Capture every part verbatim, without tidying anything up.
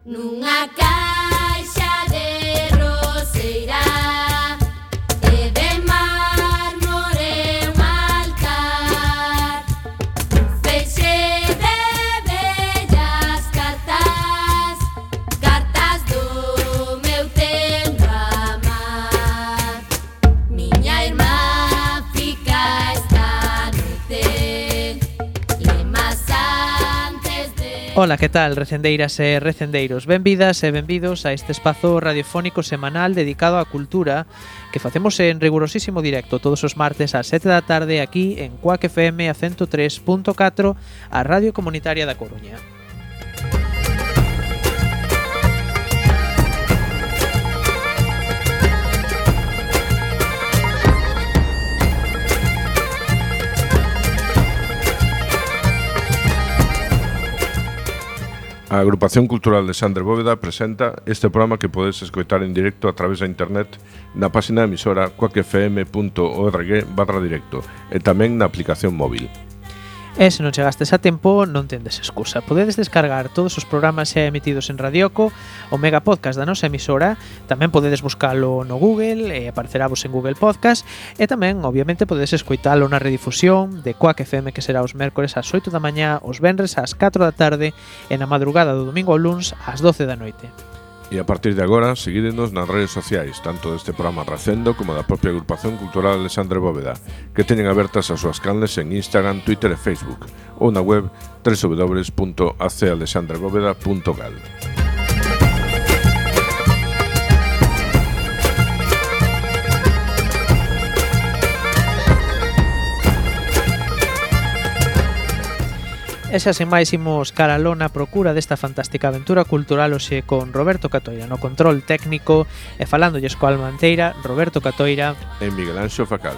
Nunha caixa de roseira e de mármore un altar, un feixe de bellas cartas, cartas do meu tempo a amar. Miña irmá fica esta noite lemas antes de... Ola, que tal, recendeiras e recendeiros? Benvidas e benvidos a este espazo radiofónico semanal dedicado á cultura que facemos en rigurosísimo directo todos os martes ás sete da tarde aquí en Cuac F M a ciento tres punto catro, a Radio Comunitaria da Coruña. A Agrupación Cultural de Sandre Bóveda presenta este programa que podes escoitar en directo a través da internet na página da emisora cuac f m punto org barra directo e tamén na aplicación móvil. E se non chegastes a tempo, non tendes excusa. Podedes descargar todos os programas xa emitidos en Radioco, o mega podcast da nosa emisora, tamén podedes buscalo no Google e apareceravos en Google Podcast, e tamén, obviamente, podedes escoitalo na redifusión de Cuac F M, que será os mércores ás oito da mañá, os venres ás catro da tarde e na madrugada do domingo ao luns ás doce da noite. E a partir de agora, seguídenos nas redes sociais, tanto deste programa Recendo como da propia Agrupación Cultural Alexandre Bóveda, que teñen abertas as súas canles en Instagram, Twitter e Facebook, ou na web w w w punto a c alexandre bóveda punto gal. E xa sen máis imos caraló na procura desta fantástica aventura cultural hoxe con Roberto Catoira no control técnico e falándolles coa alma enteira, Roberto Catoira e Miguel Anxo Facal.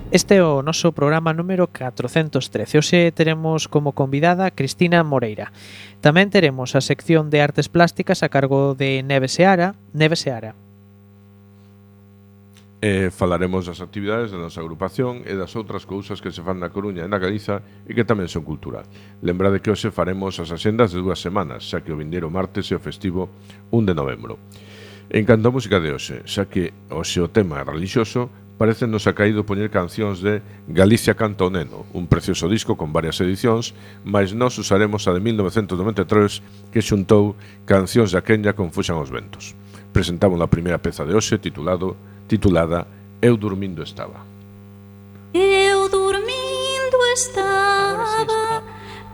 Este é o noso programa número catrocentos trece. Hoxe teremos como convidada Cristina Moreira. Tamén teremos a sección de artes plásticas a cargo de Neve Seara. Neve Seara. E falaremos das actividades da nosa agrupación e das outras cousas que se fan na Coruña e na Galiza e que tamén son cultura. Lembrade que hoxe faremos as axendas de dúas semanas, xa que o vindeiro martes é o festivo un de novembro. En canto a música de hoxe, xa que hoxe o tema é relixioso, parece nos ha caído poñer cancións de Galicia canta o neno, un precioso disco con varias edicións, mas nós usaremos a de mil novecentos noventa e tres que xuntou cancións de Aquenya con Fuxan os ventos. Presentamos a primeira peza de hoxe titulado, titulada Eu dormindo estaba. Eu dormindo estaba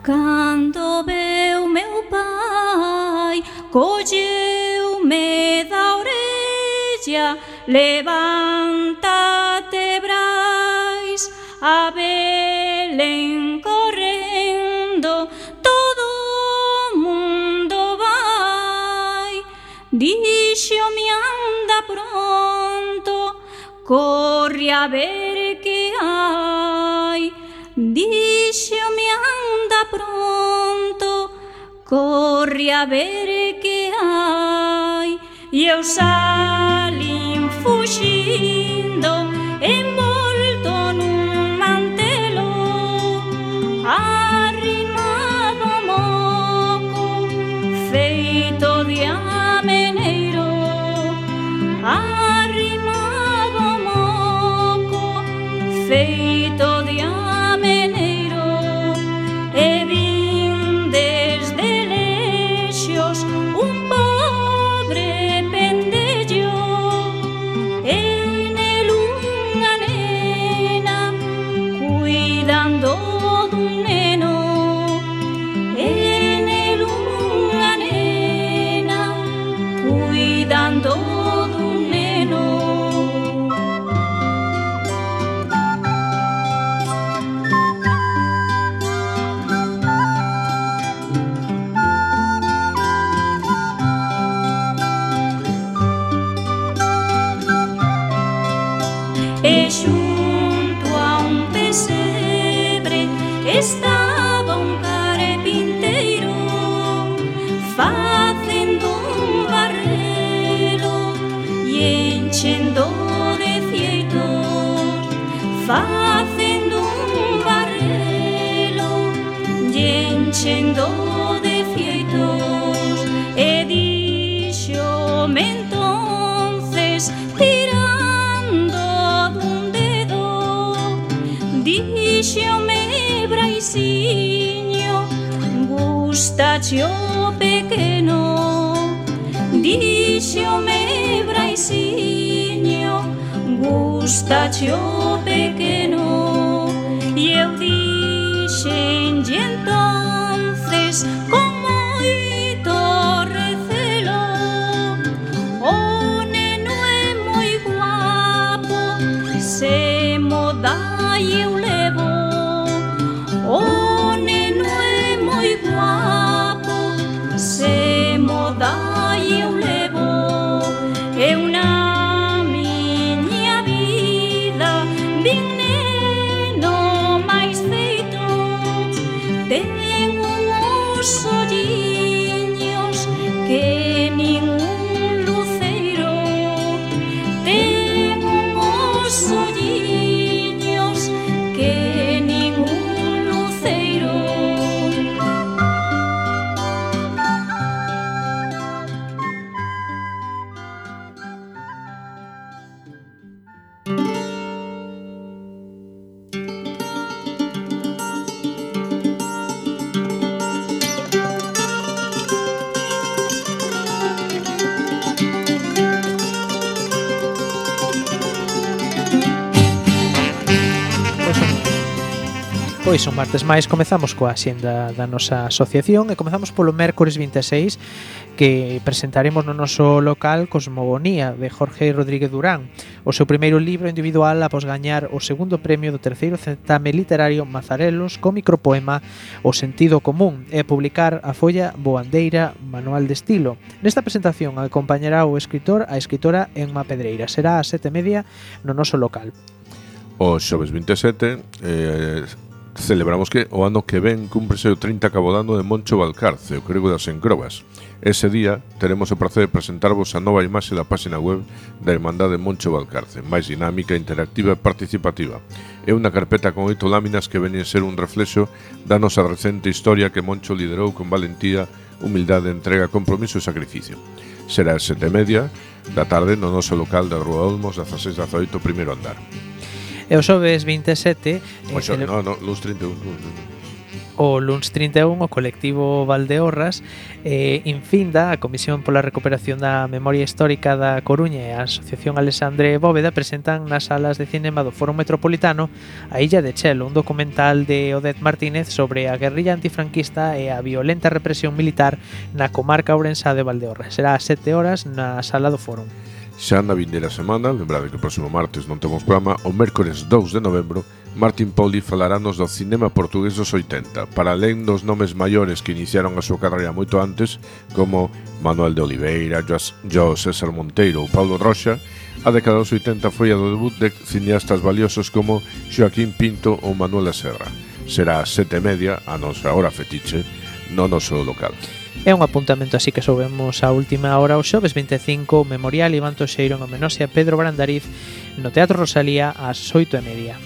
cando veu meu pai, colleu-me da orella, levántate, Brais, a Belén correndo, todo o mundo vai. Dixo-me anda pronto, corre a ver que hai. Dixo-me anda pronto, corre a ver que hai. E eu salín fuxindo, envolto nun mantelo, arrimado ao moco, feito de ameneiro, arrimado ao moco, feito de ameneiro, e vin desde lexos un pobre dun neno, e nell'unga nena, cuidando dun neno. enchendo de fieitos e díxome entonces tirando dun dedo, díxome Braisiño, gustache o pequeno, díxome Braisiño, gustache o pequeno, e eu dixenlle entonces con moito recelo: o neno é moi guapo, se mo dá eu levo. O neno é moi guapo, se mo dá eu levo. Eu na miña vida vin neno máis feito, ten uns olliños que nin un luceiro, ten uns olliños que nin un luceiro. Pois un martes máis comezamos coa axenda da nosa asociación e comezamos polo mércores vinte e seis, que presentaremos no noso local Cosmogonía, de Jorge Rodríguez Durán, o seu primeiro libro individual após gañar o segundo premio do terceiro certame literario Mazarelos co micropoema O sentido común e publicar a folla Boandeira Manual de Estilo. Nesta presentación acompañará o escritor a escritora Emma Pedreira. Será a sete e media no noso local. O xoves vinte e sete eh, celebramos que o ano que ven cúmprese o trinta cabodano de Moncho Valcarce, o grego das encrobas. Ese día teremos o prazer de presentarvos a nova imaxe da página web da Irmandade Moncho Valcarce, máis dinámica, interactiva e participativa. É unha carpeta con oito láminas que veñen ser un reflexo da nosa recente historia que Moncho liderou con valentía, humildade, entrega, compromiso e sacrificio. Será a sete e media da tarde no noso local da Rúa Olmos, dezaseis dezaoito, primeiro andar. E o xoves vinte e sete O xo, no, no, luns trinta e un, o luns trinta e un o colectivo Valdeorras eh, infinda a Comisión pola Recuperación da Memoria Histórica da Coruña e a Asociación Alexandre Bóveda presentan nas salas de cinema do Foro Metropolitano A Illa de Chelo, un documental de Odette Martínez sobre a guerrilla antifranquista e a violenta represión militar na comarca ourensá de Valdeorras. Será ás sete horas na sala do Foro. Xa na vindeira semana, lembrade que o próximo martes non temos programa, o mércores dous de novembro, Martín Poli falarános do cinema portugués dos oitenta, para alén dos nomes maiores que iniciaron a súa carreira moito antes, como Manuel de Oliveira, Jo César Monteiro ou Paulo Roxa. A década dos oitenta foi a do debut de cineastas valiosos como Joaquín Pinto ou Manuela Serra. Será a sete e media, a nosa hora fetiche, no noso local. É un apuntamento así que soubemos a última hora. O xoves vinte e cinco, o Memorial Iván Toxeiro en homenaxe a Pedro Brandariz no Teatro Rosalía ás oito e media.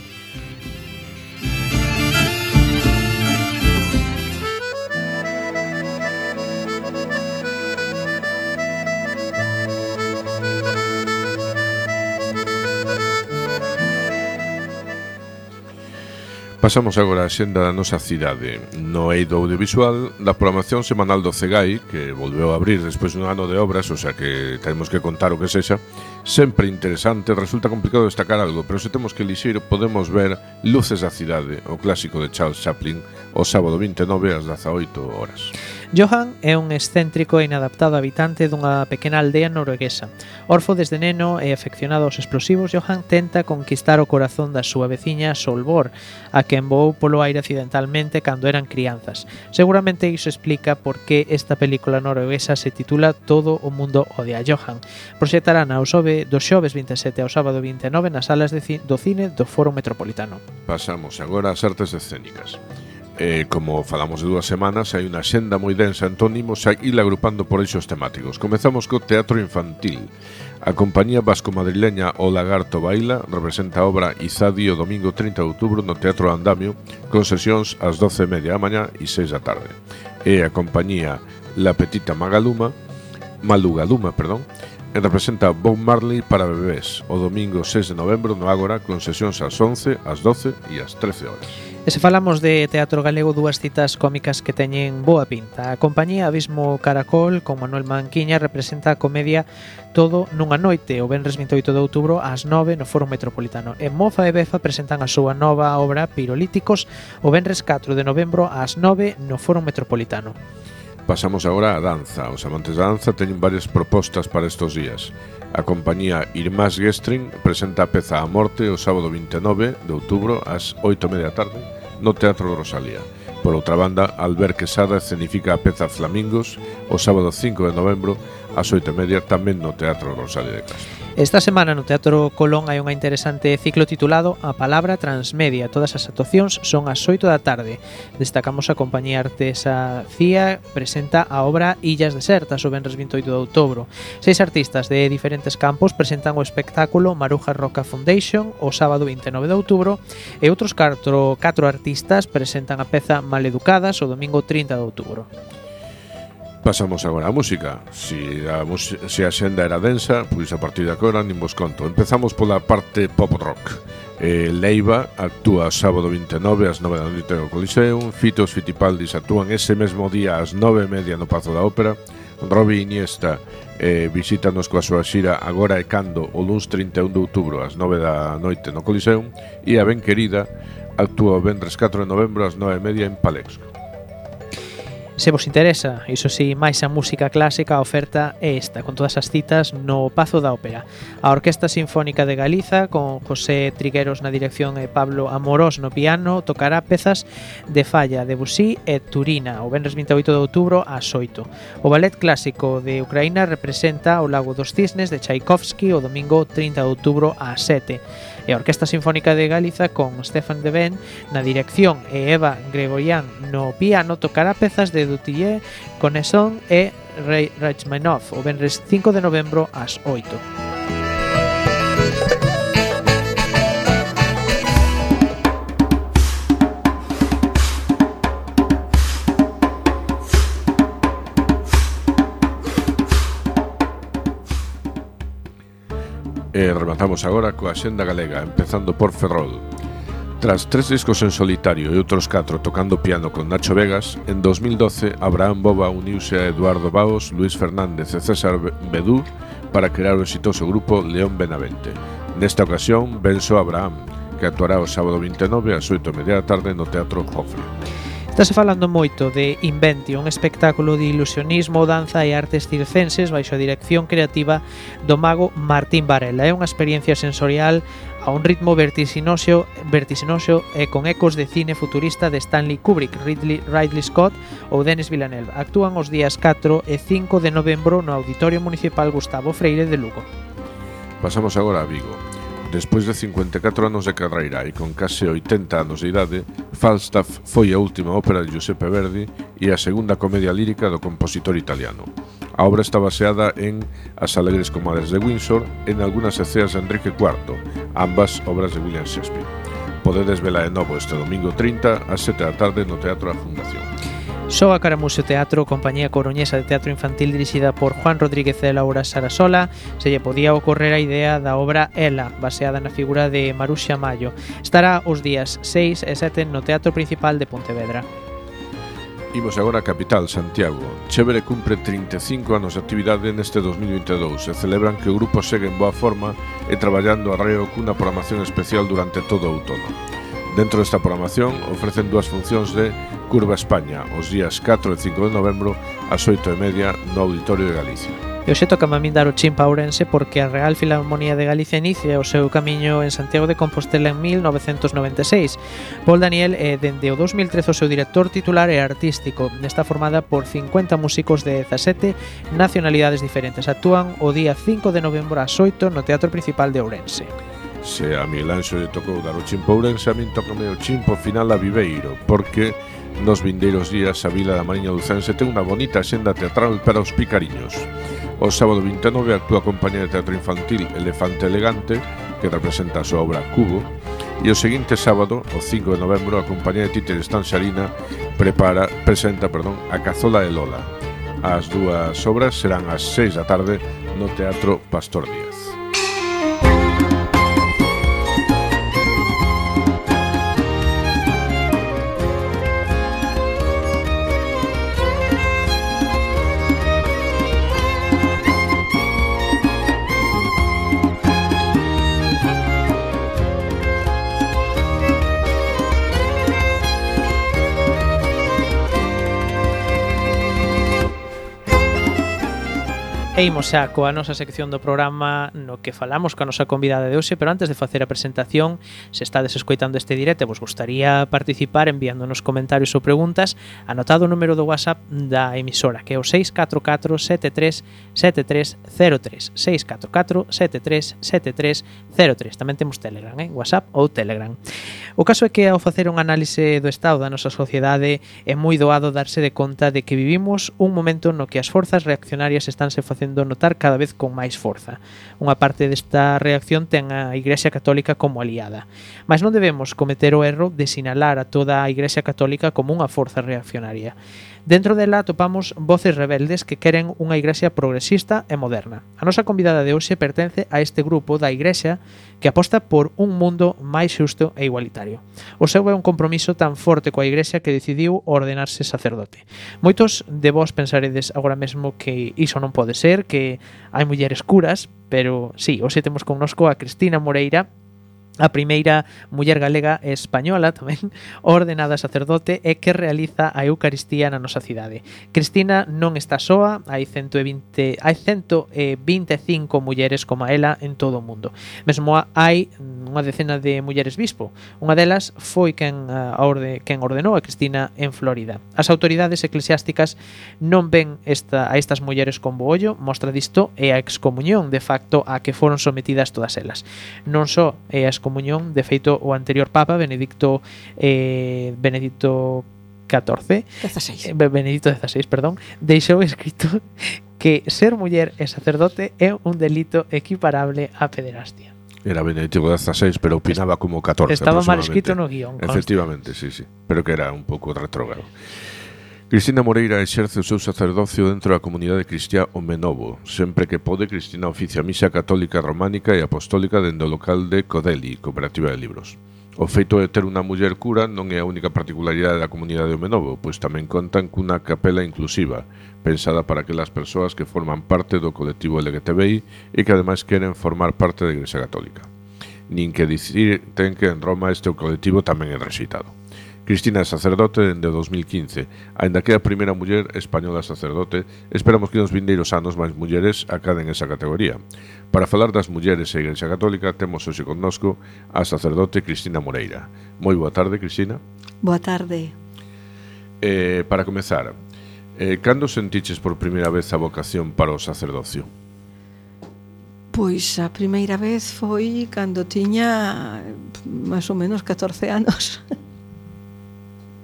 Pasamos agora a xenda da nosa cidade. No eido audiovisual, da programación semanal do Cegai, que volveu a abrir despois dun ano de obras, o sea que temos que contar o que sexa, sempre interesante. Resulta complicado destacar algo, pero se temos que elixir, podemos ver Luces da cidade, o clásico de Charles Chaplin, o sábado vinte e nove ás dezaoito horas. Johan é un excéntrico e inadaptado habitante dunha pequena aldea norueguesa. Orfo desde neno e afeccionado aos explosivos, Johan tenta conquistar o corazón da súa veciña Solvor, a quen voou polo aire accidentalmente cando eran crianzas. Seguramente iso explica por que esta película norueguesa se titula Todo o mundo odia a Johan. Proxectarán ao xove, do xoves vinte e sete ao sábado vinte e nove nas salas de ci- do cine do Foro Metropolitano. Pasamos agora ás artes escénicas. Eh, como falamos de dúas semanas, hai unha xenda moi densa, entón imos a ir agrupando por eixos temáticos. Comezamos co teatro infantil. A compañía vasco-madrileña O Lagarto Baila representa a obra Izadi o domingo trinta de outubro no Teatro Andamio, con sesións ás doce e media da mañá e seis da tarde. E a compañía La Petita Magaluma, Malugaluma, perdón, representa Bob Marley para bebés o domingo seis de novembro no Ágora, con sesións ás once, ás doce e ás trece horas. E se falamos de teatro galego, dúas citas cómicas que teñen boa pinta. A compañía Abismo Caracol, con Manuel Manquiña, representa a comedia Todo nunha noite, o venres vinte e oito de outubro ás nove no Foro Metropolitano. E Mofa e Befa presentan a súa nova obra Pirolíticos o venres catro de novembro ás nove no Foro Metropolitano. Pasamos agora á danza. Os amantes da danza teñen varias propostas para estes días. A compañía Irmás Gestrin presenta a peza A Morte o sábado vinte e nove de outubro ás oito e media da tarde no Teatro Rosalía. Por outra banda, Albert Quesada escenifica a peza Flamingos o sábado cinco de novembro ás oito e media tamén no Teatro Rosalía de Castro. Esta semana no Teatro Colón hai unha interesante ciclo titulado A Palabra Transmedia. Todas as actuacións son ás oito da tarde. Destacamos a compañía Artesa Cía presenta a obra Illas Desertas o venres vinte e oito de outubro. Seis artistas de diferentes campos presentan o espectáculo Maruja Roca Foundation o sábado vinte e nove de outubro e outros catro, catro artistas presentan a peza Maleducadas o domingo trinta de outubro. Pasamos agora á música. Si a, si a xenda era densa, pois a partir de agora nin vos conto. Empezamos pola parte pop rock. eh, Leiva actúa sábado vinte e nove ás nove da noite no Coliseum. Fitos Fitipaldis actúan ese mesmo día ás nove e media no Pazo da Ópera. Robi Iniesta eh, visítanos coa súa xira Agora e Cando o luns trinta e un de outubro ás nove da noite no Coliseum. E a Ben Querida actúa o venres catro de novembro ás nove e media en Palexco. Se vos interesa, iso si, máis a música clásica, a oferta é esta, con todas as citas no Pazo da Ópera. A Orquesta Sinfónica de Galiza, con José Trigueros na dirección e Pablo Amorós no piano, tocará pezas de Falla, Debussy e Turina, o venres vinte e oito de outubro ás oito. O Ballet Clásico de Ucraína representa o Lago dos Cisnes de Tchaikovsky o domingo trinta de outubro ás sete. E a Orquesta Sinfónica de Galiza, con Stefan Deben na dirección e Eva Gregorian no piano, tocará pezas de Dutillé, Connesson e Rachmaninoff o venres cinco de novembro ás oito. E rematamos agora coa xenda galega, empezando por Ferrol. Tras tres discos en solitario e outros catro tocando piano con Nacho Vegas, en dos mil doce Abraham Boba uniuse a Eduardo Baos, Luis Fernández e César Bedú para crear o exitoso grupo León Benavente. Nesta ocasión, venso Abraham, que actuará o sábado vinte e nove ás oito e media da tarde no Teatro Jofre. Estase falando moito de Inventio, un espectáculo de ilusionismo, danza e artes circenses baixo a dirección creativa do mago Martín Varela. É unha experiencia sensorial a un ritmo vertiginoso, vertiginoso e con ecos de cine futurista de Stanley Kubrick, Ridley, Ridley Scott ou Denis Villeneuve. Actúan os días catro e cinco de novembro no Auditorio Municipal Gustavo Freire de Lugo. Pasamos agora a Vigo. Despois de cincuenta e catro anos de carreira e con case oitenta anos de idade, Falstaff foi a última ópera de Giuseppe Verdi e a segunda comedia lírica do compositor italiano. A obra está baseada en As alegres comadres de Windsor e en algunhas escenas de Enrique cuarto, ambas obras de William Shakespeare. Podedes vela de novo este domingo trinta ás sete da tarde no Teatro da Fundación. Só a Caramuseo Teatro, compañía coruñesa de teatro infantil dirixida por Juan Rodríguez e Laura Sarasola, se lle podía ocorrer a idea da obra Ela, baseada na figura de Maruxa Mayo. Estará os días seis e sete no Teatro Principal de Pontevedra. Imos agora a capital, Santiago. Chévere cumpre trinta e cinco anos de actividade neste dos mil vinte e dous e celebran que o grupo segue en boa forma e traballando arreo cunha programación especial durante todo o outono. Dentro desta programación ofrecen dúas funcións de Curva España os días catro e cinco de novembro ás oito e media no Auditorio de Galicia. E hoxe toca a min dar o chimpa a Ourense porque a Real Filarmonía de Galicia inicia o seu camiño en Santiago de Compostela en mil novecentos noventa e seis. Paul Daniel é dende o dos mil trece o seu director titular e artístico. Está formada por cincuenta músicos de dezasete nacionalidades diferentes. Actúan o día cinco de novembro ás oito no Teatro Principal de Ourense. Se a Miguel Anxo lle tocou dar o chimpo a Ourense, a min tocame o chimpo final a Viveiro, porque nos vindeiros días a Vila da Mariña Lucense ten unha bonita xenda teatral para os picariños. O sábado vinte e nove actúa a compañía de teatro infantil Elefante Elegante, que representa a súa obra Cubo, e o seguinte sábado, o cinco de novembro, a compañía de títeres Tanxarina prepara, presenta perdón, a Cazola de Lola. As dúas obras serán ás seis da tarde no Teatro Pastor Díaz. E imos xa coa nosa sección do programa no que falamos coa nosa convidada de hoxe, pero antes de facer a presentación, se estades escoitando este directo e vos gustaría participar enviándonos comentarios ou preguntas, anotado o número do WhatsApp da emisora, que é o seis catro catro sete tres sete tres cero tres, seis catro catro sete tres sete tres cero tres. Tamén temos Telegram, eh? WhatsApp ou Telegram. O caso é que ao facer un análise do estado da nosa sociedade é moi doado darse de conta de que vivimos un momento no que as forzas reaccionarias estánse facendo notar cada vez con máis forza. Unha parte desta reacción ten a Igrexa Católica como aliada, mas non debemos cometer o erro de sinalar a toda a Igrexa Católica como unha forza reaccionaria. Dentro dela atopamos voces rebeldes que queren unha Igrexa progresista e moderna. A nosa convidada de hoxe pertence a este grupo da Igrexa que aposta por un mundo máis xusto e igualitario. O seu é un compromiso tan forte coa Igrexa que decidiu ordenarse sacerdote. Moitos de vós pensaredes agora mesmo que iso non pode ser, que hai mulleres curas, pero sí, hoxe temos connosco a Cristina Moreira, a primeira muller galega e española tamén ordenada sacerdote e que realiza a Eucaristía na nosa cidade. Cristina non está soa, hai ciento e vinte, hai ciento e vinte e cinco mulleres como ela en todo o mundo. Mesmo hai unha decena de mulleres bispo. Unha delas foi quen, a orde, quen ordenou a Cristina en Florida. As autoridades eclesiásticas non ven esta, a estas mulleres con bo ollo, mostra disto é a excomuñón de facto a que foron sometidas todas elas. Non só é a excomuñón, de feito o anterior Papa Benedicto eh, Benedicto catorce dezasseis. Benedicto dezasseis, perdón, deixou escrito que ser muller e sacerdote é un delito equiparable á pederastia. Era Benedicto dezasseis, pero opinaba como catorce. Estaba mal escrito no guión. Efectivamente, sí, sí, pero que era un pouco retrógrado. Cristina Moreira exerce o seu sacerdocio dentro da comunidade cristiá O Menovo. Sempre que pode, Cristina oficia a misa católica románica e apostólica dende o local de Codeli, Cooperativa de Libros. O feito de ter unha muller cura non é a única particularidade da comunidade do Menovo, pois tamén contan cunha capela inclusiva, pensada para aquelas persoas que forman parte do colectivo L G T B I e que ademais queren formar parte da Igrexa Católica. Nin que dicir ten que en Roma este colectivo tamén é rexeitado. Cristina é sacerdote dende o dos mil quince. Aínda que é a primeira muller española sacerdote, esperamos que nos vindeiros anos máis mulleres acaden esa categoría. Para falar das mulleres e a Igrexa Católica, temos hoxe connosco a sacerdote Cristina Moreira. Moi boa tarde, Cristina. Boa tarde. Eh, para comezar, eh, cando sentiches por primeira vez a vocación para o sacerdocio? Pois a primeira vez foi cando tiña máis ou menos catorce anos.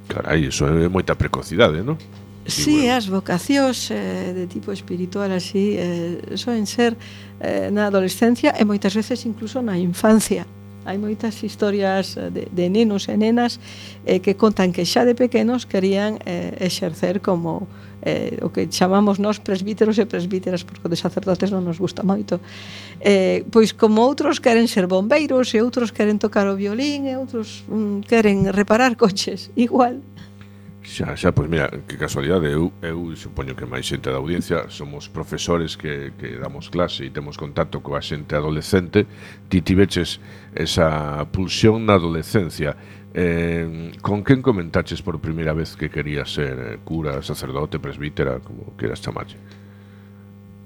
Carai, iso é moita precocidade, non? Sí, as vocacións eh, de tipo espiritual así eh, soen ser eh, na adolescencia e moitas veces incluso na infancia. Hai moitas historias de, de nenos e nenas eh, que contan que xa de pequenos querían eh, exercer como eh, o que chamamos nós presbíteros e presbíteras, porque de sacerdotes non nos gusta moito. Eh, pois como outros queren ser bombeiros e outros queren tocar o violín e outros mm, queren reparar coches, igual. Xa, xa, pois mira, que casualidade, eu, eu supoño que máis xente da audiencia somos profesores que, que damos clase e temos contacto coa xente adolescente. Ti tiveches esa pulsión na adolescencia. Eh, con quen comentaches por primeira vez que querías ser cura, sacerdote, presbítera, como queras chamarlle?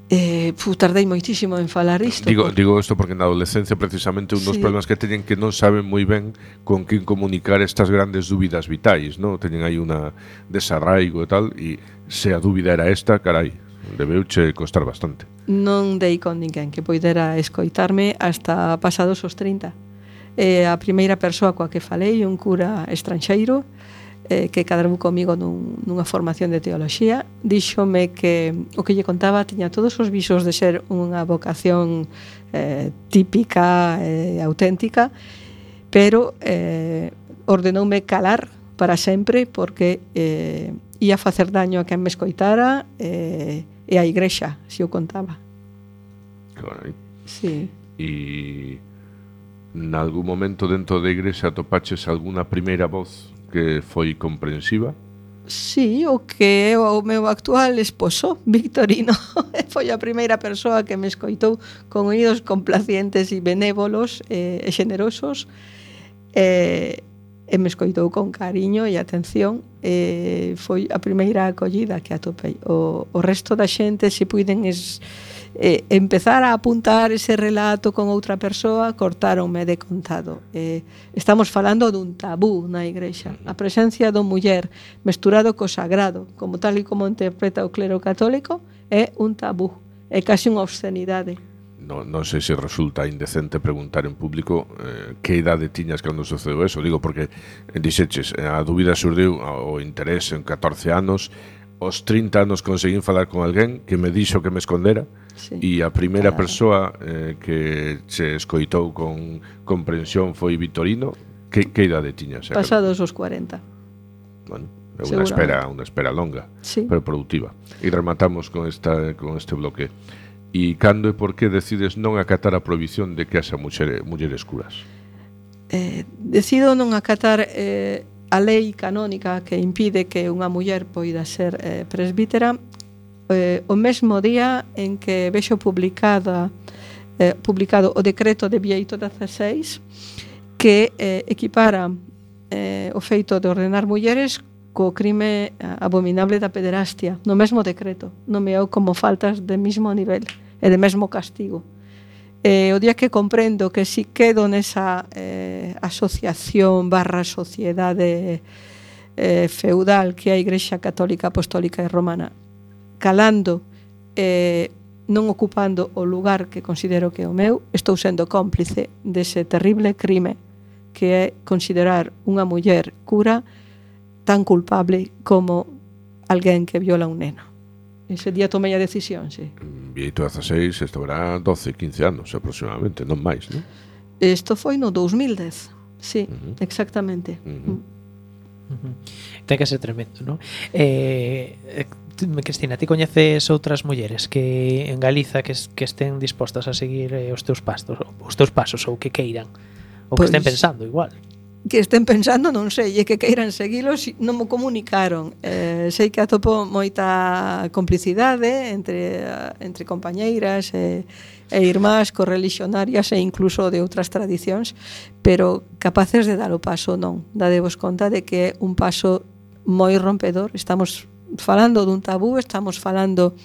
Eh, fu, tardei moitísimo en falar isto. Digo, por... digo isto porque na adolescencia precisamente un dos sí. problemas que teñen que non saben moi ben con quen comunicar estas grandes dúbidas vitais, non? Teñen aí unha desarraigo e tal, e se a dúbida era esta, carai, debeuche costar bastante. Non dei con ninguén que poidera escoitarme hasta pasados os trinta. Eh, a primeira persoa coa que falei, un cura estranxeiro, eh, que cadrou comigo nun, nunha formación de teoloxía, díxome que o que lle contaba tiña todos os visos de ser unha vocación eh, típica e eh, auténtica, pero eh, ordenoume calar para sempre porque eh, ia facer daño a quen me escoitara eh, e a igrexa, se o contaba. Claro. Sí. E nalgún momento dentro da igrexa atopaches alguna primeira voz que foi comprensiva? Sí, o que é o meu actual esposo, Victorino, foi a primeira persoa que me escoitou con oídos complacientes e benévolos e, e xenerosos, e, e me escoitou con cariño e atención, e foi a primeira acollida que atopei. O, o resto da xente, se puiden es, eh, empezar a apuntar ese relato con outra persoa, cortáronme de contado. Eh, estamos falando dun tabú na igrexa. A presencia do muller mesturado co sagrado, como tal e como interpreta o clero católico, é un tabú, é casi unha obscenidade. No, non sei se resulta indecente preguntar en público eh, que idade tiñas cando sucedeu eso. Digo, porque eh, dixeches, a dúbida surdiu o interés en catorce anos, aos trinta anos conseguín falar con alguén que me dixo que me escondera, sí, e a primeira claro. persoa eh, que se escoitou con comprensión foi Vitorino. Que, que idade tiñas? Pasados os cuarenta. Bueno, é unha espera, unha espera longa, sí, pero produtiva. E rematamos con, esta, con este bloque. E cando e por que decides non acatar a prohibición de que haxa muxere, mulleres curas? Eh, decido non acatar eh, a lei canónica que impide que unha muller poida ser eh, presbítera eh, o mesmo día en que vexo publicada eh, publicado o decreto de Bieito dezaseis que eh, equipara eh, o feito de ordenar mulleres co crime abominable da pederastia, no mesmo decreto, nomeou como faltas de mismo nivel e de mesmo castigo. E o día que comprendo que si quedo nesa eh, asociación barra sociedade eh, feudal que é a Igrexa Católica Apostólica e Romana, calando eh, non ocupando o lugar que considero que é o meu, estou sendo cómplice dese terrible crime que é considerar unha muller cura tan culpable como alguén que viola un neno. Ese día tomei a decisión, sí. Bieito dezaseis, isto verá doce, quince anos aproximadamente, non máis, non? Isto foi no dos mil dez, sí, uh-huh. exactamente. Uh-huh. Uh-huh. Ten que ser tremendo, non? Eh, Cristina, ti coñeces outras mulleres que en Galiza que, que estén dispostas a seguir eh, os teus pasos, os teus pasos ou que queiran, ou pues, que estén pensando igual? Que estén pensando, non sei, e que queiran seguilos, non me comunicaron. Eh, sei que atopo moita complicidade entre, entre compañeiras e, e irmás correlixionarias e incluso de outras tradicións, pero capaces de dar o paso non. Dadevos conta de que é un paso moi rompedor. Estamos falando dun tabú, estamos falando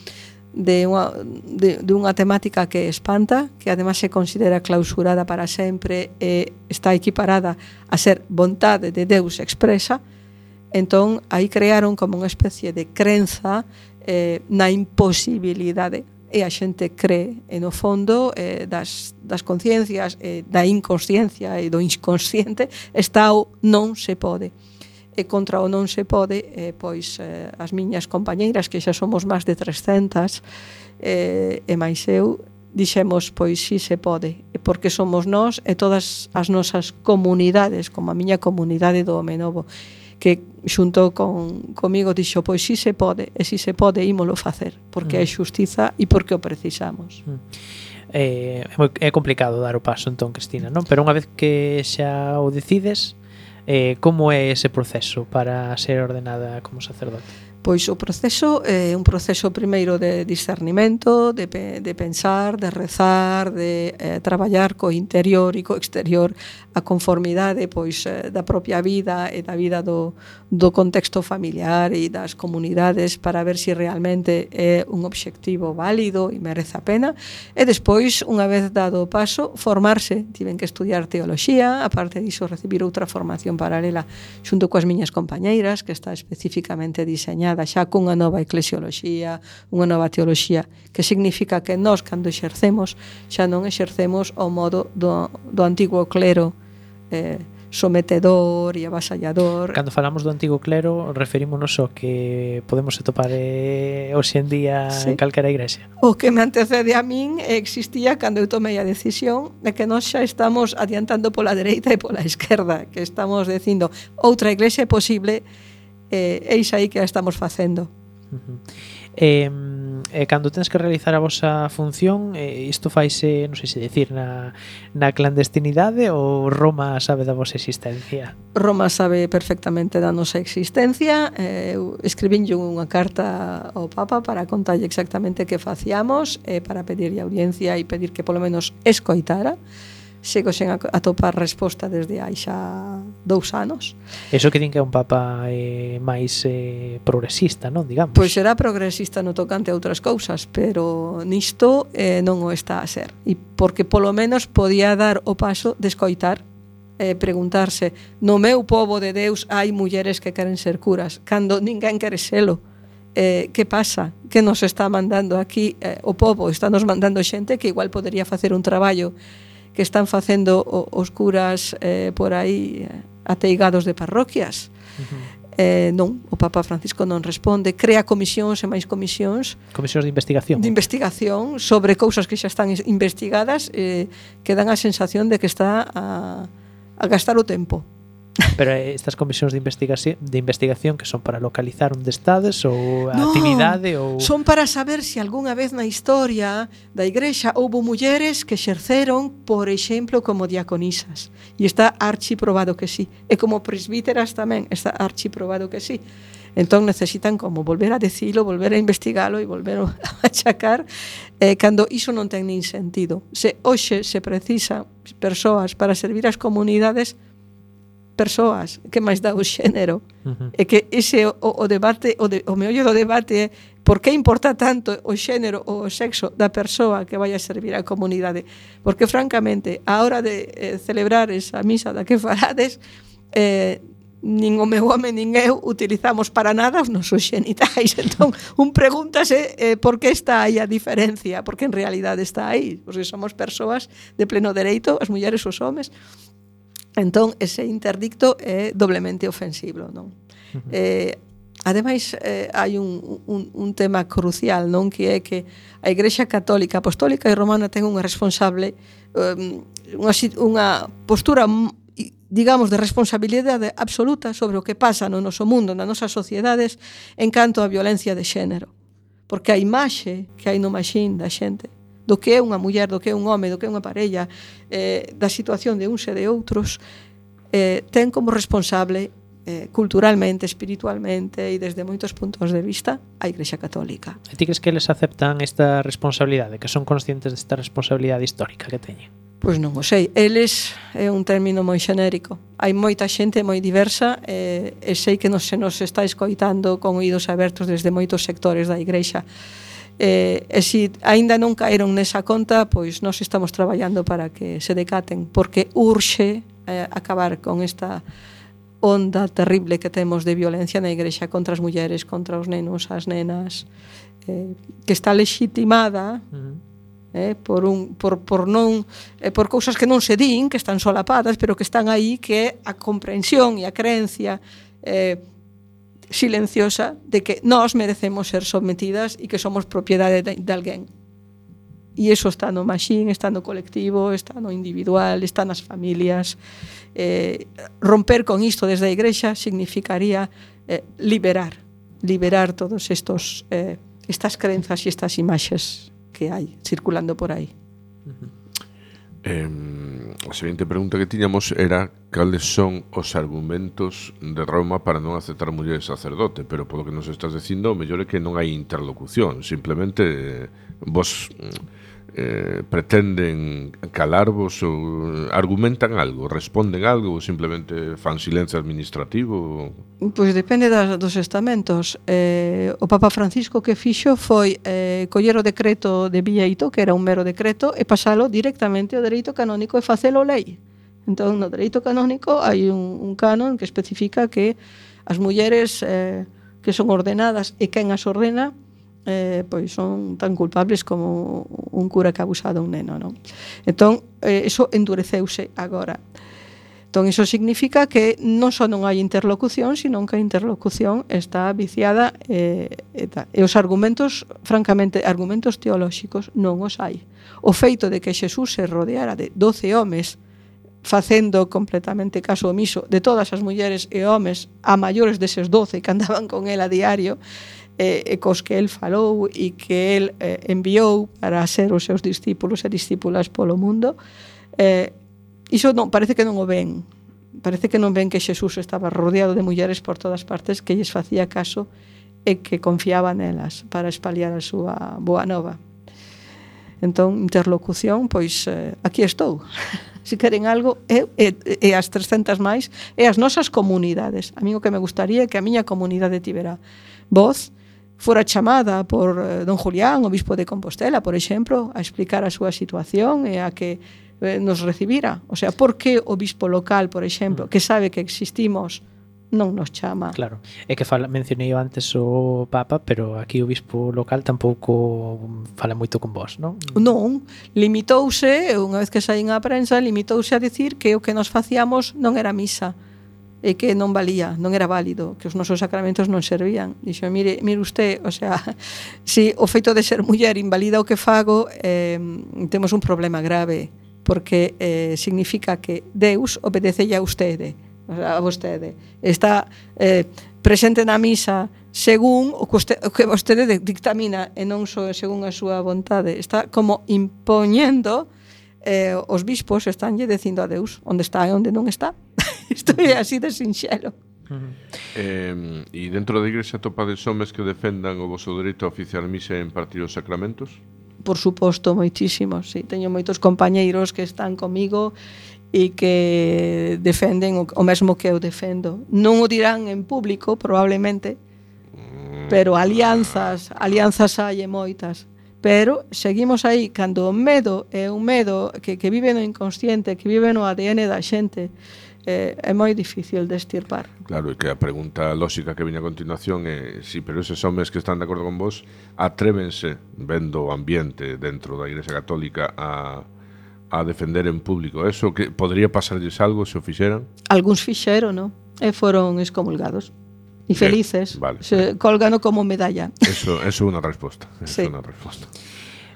de unha, de, de unha temática que espanta, que además se considera clausurada para sempre e está equiparada a ser vontade de Deus expresa. Entón, aí crearon como unha especie de crenza eh, na imposibilidade, e a xente cree, e no fondo eh, das, das conciencias, eh, da inconsciencia e do inconsciente está o non se pode. E contra o non se pode, eh, pois eh, as miñas compañeiras, que xa somos máis de trescentas, eh, e máis eu, dixemos, pois si se pode, porque somos nós e todas as nosas comunidades, como a miña comunidade do Home Novo, que xunto con, comigo dixo, pois si se pode, e si se pode ímolo facer, porque mm. é xustiza e porque o precisamos. Mm. Eh, é, moi, é complicado dar o paso entón, Cristina, non? Pero unha vez que xa o decides, Eh, como é ese proceso para ser ordenada como sacerdote? Pois o proceso é un proceso primeiro de discernimento, de, pe, de pensar, de rezar, de eh, traballar co interior e co exterior a conformidade pois eh, da propia vida e da vida do, do contexto familiar e das comunidades para ver se si realmente é un obxectivo válido e merece a pena. E despois, unha vez dado o paso, formarse. Tiven que estudiar teoloxía, aparte diso recibir outra formación paralela xunto coas miñas compañeiras, que está especificamente diseñada aliñada xa cunha nova eclesioloxía, unha nova teoloxía, que significa que nós, cando exercemos, xa non exercemos ao modo do, do antigo clero eh, sometedor e avasallador. Cando falamos do antigo clero, referímonos ao que podemos atopar eh, hoxe en día sí. en calquera igrexa. O que me antecede a min existía cando eu tomei a decisión de que nós xa estamos adiantando pola dereita e pola esquerda, que estamos dicindo outra igrexa é posible, eh, eis aí que a estamos facendo. Uh-huh. Eh, eh, cando tens que realizar a vosa función, eh, isto faise, non sei se decir, na, na clandestinidade ou Roma sabe da vosa existencia? Roma sabe perfectamente da nosa existencia. eh, eu escribinlle unha carta ao Papa para contarlle exactamente que facíamos, eh, para pedirlle audiencia e pedir que polo menos escoitara. Sigo sen atopar resposta desde hai xa dous anos. Eso que din que é un papa eh, máis eh, progresista, non, digamos? Pois será progresista no tocante a outras cousas, pero nisto eh, non o está a ser. E porque polo menos podía dar o paso de escoitar, eh, preguntarse, no meu pobo de Deus hai mulleres que queren ser curas, cando ninguén quere selo. Eh, que pasa? Que nos está mandando aquí eh, o pobo? Está nos mandando xente que igual podería facer un traballo que están facendo os curas eh, por aí ateigados de parroquias. Uh-huh. Eh, non, o Papa Francisco non responde, crea comisións e máis comisións. Comisións de investigación. De investigación sobre cousas que xa están investigadas, eh, que dan a sensación de que está a, a gastar o tempo. Pero estas comisións de investigación, de investigación que son para localizar onde estades ou a no, actividade ou son para saber se algunha vez na historia da igrexa houbo mulleres que exerceron, por exemplo, como diaconisas. E está archiprobado que sí. E como presbíteras tamén está archiprobado que sí. Entón necesitan como volver a decilo, volver a investigalo e volver a achacar eh, cando iso non ten nin sentido. Se hoxe se precisa persoas para servir as comunidades, persoas, que máis dá o xénero. Uh-huh. E que ese o, o debate, o, de, o meollo do debate é por que importa tanto o xénero ou o sexo da persoa que vai a servir a comunidade. Porque francamente, a hora de eh, celebrar esa misa da que farades, eh, nin o meu home nin eu utilizamos para nada os nosos xenitais. Entón, un pregúntase eh, por que está aí a diferencia, porque en realidade está aí, porque somos persoas de pleno dereito, as mulleres e os homes. Entón, ese interdicto é doblemente ofensivo, non? Uh-huh. Eh, ademais, eh, hai un, un, un tema crucial, non? Que é que a Igrexa Católica, Apostólica e Romana ten unha responsable, um, unha, unha postura, digamos, de responsabilidade absoluta sobre o que pasa no noso mundo, nas nosas sociedades, en canto á violencia de xénero. Porque a imaxe que hai no maxín da xente, do que é unha muller, do que é un home, do que é unha parella, eh, da situación de uns e de outros, eh, ten como responsable eh, culturalmente, espiritualmente e desde moitos puntos de vista a Igrexa Católica. E ti crees que eles aceptan esta responsabilidade, que son conscientes desta responsabilidade histórica que teñen? Pois non o sei, eles é un término moi xenérico. Hai moita xente moi diversa e, e sei que nos, se nos está escoitando con oídos abertos desde moitos sectores da Igrexa. E, e se aínda non caeron nesa conta, pois nós estamos traballando para que se decaten, porque urxe eh, acabar con esta onda terrible que temos de violencia na Igrexa contra as mulleres, contra os nenos, as nenas, eh, que está legitimada uh-huh. eh, por, un, por, por, non, eh, por cousas que non se din, que están solapadas, pero que están aí, que é a comprensión e a creencia eh, silenciosa de que nós merecemos ser sometidas e que somos propiedade de, de alguén. E iso está no maxín, está no colectivo, está no individual, está nas familias. Eh, romper con isto desde a Igrexa significaría eh, liberar, liberar todos estos eh, estas crenzas e estas imaxes que hai circulando por aí. Uh-huh. Eh, a seguinte pregunta que tiñamos era cales son os argumentos de Roma para non aceptar mulleres sacerdote, pero polo que nos estás dicindo, o mellor é que non hai interlocución, simplemente eh, vos eh, pretenden calarvos ou argumentan algo, responden algo ou simplemente fan silencio administrativo? Pois depende das, dos estamentos. Eh, o Papa Francisco que fixo foi eh, coller o decreto de Vieito, que era un mero decreto, e pasalo directamente ao dereito canónico e facelo lei. Entón, no dereito canónico hai un, un canon que especifica que as mulleres eh, que son ordenadas e quen as ordena eh, pois son tan culpables como un cura que abusa dun neno, non? Entón, eh, eso endureceuse agora. Entón, iso significa que non só non hai interlocución, sino que a interlocución está viciada e, e, tal. E os argumentos, francamente, argumentos teolóxicos non os hai. O feito de que Xesús se rodeara de doce homes facendo completamente caso omiso de todas as mulleres e homes a maiores deses doce que andaban con el a diario, e, e cos que el falou e que el eh, enviou para ser os seus discípulos e discípulas polo mundo, eh, iso non, parece que non o ven. Parece que non ven que Xesús estaba rodeado de mulleres por todas partes, que lles facía caso e que confiaba nelas para espaliar a súa boa nova. Entón, interlocución, pois eh, aquí estou. Se queren algo, e, e, e as trescentas máis, e as nosas comunidades. A mí o que me gustaría é que a miña comunidade tivera voz, fora chamada por eh, don Julián, obispo de Compostela, por exemplo, a explicar a súa situación e a que eh, nos recibira. O sea, por que o obispo local, por exemplo, que sabe que existimos, non nos chama? Claro, é que fala, mencionei antes o Papa, pero aquí o obispo local tampouco fala moito con vos, non? Non, limitouse, unha vez que saín á prensa, limitouse a dicir que o que nos facíamos non era misa, e que non valía, non era válido, que os nosos sacramentos non servían. Dixo, mire, mire usted, o sea, si o feito de ser muller invalida o que fago, eh, temos un problema grave, porque eh, significa que Deus obedecelle a vostede, a vostede. Está eh, presente na misa según o que, vostede, o que vostede dictamina e non só según a súa vontade. Está como impoñendo, eh, os bispos estánlle dicindo a Deus onde está e onde non está. Isto é así de sinxelo. Uh-huh. eh, E dentro da igrexa topades homes que defendan o vosso dereito a oficiar misa e impartir os sacramentos? Por suposto, moitísimos, sí. Teño moitos compañeiros que están comigo e que defenden o, o mesmo que eu defendo. Non o dirán en público, probablemente, pero alianzas, alianzas hai e moitas. Pero seguimos aí, cando o medo é un medo que, que vive no inconsciente, que vive no A D N da xente, eh, é moi difícil de extirpar. Claro, e que a pregunta lóxica que viña a continuación é sí, pero eses homes que están de acordo con vos atrévense, vendo o ambiente dentro da Igrexa Católica, a, a defender en público eso, que podría pasarlles algo se o fixeran? Algúns fixeron, non? E foron excomulgados. E felices, vale, se vale. Colgano como medalla. Eso, eso é unha resposta. Eso Sí. é unha resposta.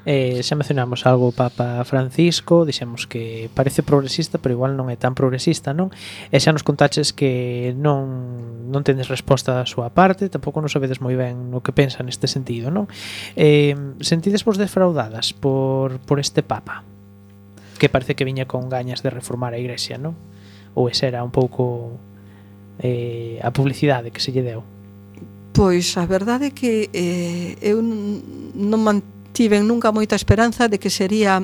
Eh, xa mencionamos algo o Papa Francisco, dixemos que parece progresista, pero igual non é tan progresista, non? E xa nos contaches que non non tenes resposta da súa parte, tampouco non sabedes moi ben o que pensa neste sentido, non? Eh, sentides vos defraudadas por, por este Papa? Que parece que viña con gañas de reformar a Igrexa, non? Ou esa era un pouco eh, a publicidade que se lle deu? Pois a verdade é que eh, eu non mantiven nunca moita esperanza de que sería